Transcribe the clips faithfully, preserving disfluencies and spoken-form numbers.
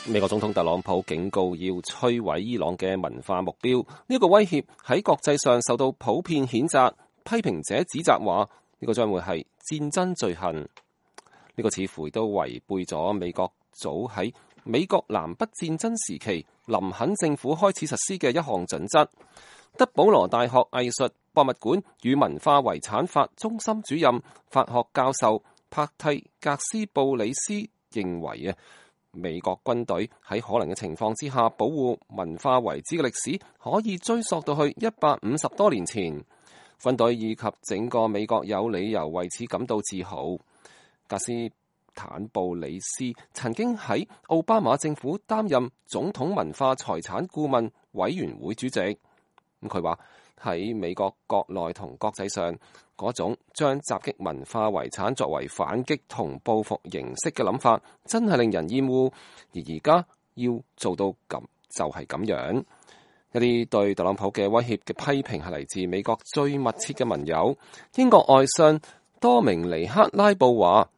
美國總統特朗普警告要摧毀伊朗嘅文化目標，呢個威脅喺國際上受到普遍譴責。批評者指責話呢個將會係戰爭罪行，呢個似乎都違背咗美國早喺美國南北戰爭時期林肯政府開始實施嘅一項準則。德保羅大學藝術博物館與文化遺產法中心主任法學教授帕蒂格斯布里斯認為啊，美國軍隊喺可能嘅情況之下保護文化遺址嘅歷史可以追溯到去一百五十多年前。軍隊以及整個美國有理由為此感到自豪。格斯坦布里斯曾經喺奧巴馬政府擔任總統文化財產顧問委員會主席。咁佢話喺美國國內同國際上嗰種將襲擊文化遺產作為反擊同報復形式嘅諗法，真係令人厭惡。而而家要做到咁就係咁樣。一啲對特朗普嘅威脅嘅批評係嚟自美國最密切嘅盟友。英國外相多明尼克拉布話：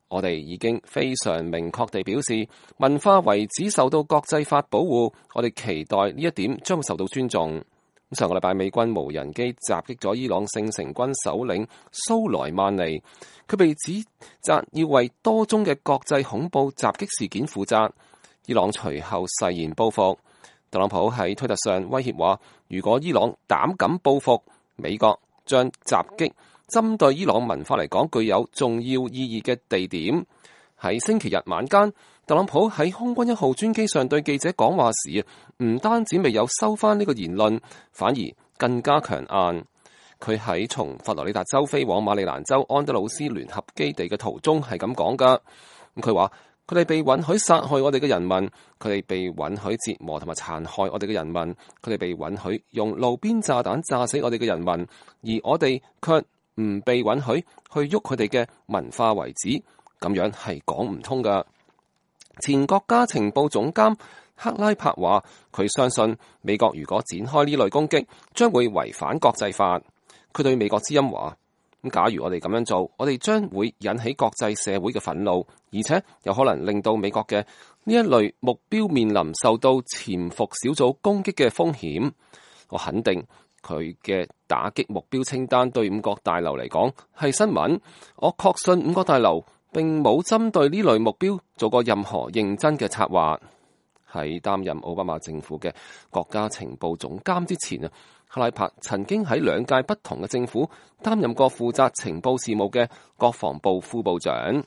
我哋已經非常明確地表示，文化遺址受到國際法保護，我哋期待呢一點將會受到尊重。上個禮拜美軍無人機襲擊咗伊朗聖城軍首領蘇萊曼尼，佢被指責要為多宗嘅國際恐怖襲擊事件負責。伊朗隨後誓言報復。特朗普喺推特上威脅話，如果伊朗膽敢報復，美國將襲擊針對伊朗文化嚟講具有重要意義嘅地點。喺星期日晚間，特朗普喺空軍一號專機上對記者講話時，唔單止未有收返呢個言論，反而更加強硬。佢喺從佛羅里達州飛往馬里蘭州安德魯斯聯合基地嘅途中係咁講㗎。佢話：佢哋被允許殺害我哋嘅人民，佢哋被允許折磨同埋殘害我哋嘅人民，佢哋被允許用路邊炸彈炸死我哋嘅人民，而我哋卻唔被允許去喐佢哋嘅文化遺址，咁樣係講唔通㗎。前國家情報總監克拉柏話：佢相信美國如果展開呢類攻擊，將會違反國際法。佢對美國之音話：咁假如我哋咁樣做，我哋將會引起國際社會嘅憤怒，而且有可能令到美國嘅呢一類目標面臨受到潛伏小組攻擊嘅風險。我肯定佢嘅打擊目標清單對五角大樓嚟講係新聞。我確信五角大樓並冇針對呢類目標做過任何認真嘅策劃。喺擔任奧巴馬政府嘅國家情報總監之前啊，克拉柏曾經喺兩屆不同嘅政府擔任過負責情報事務嘅國防部副部長。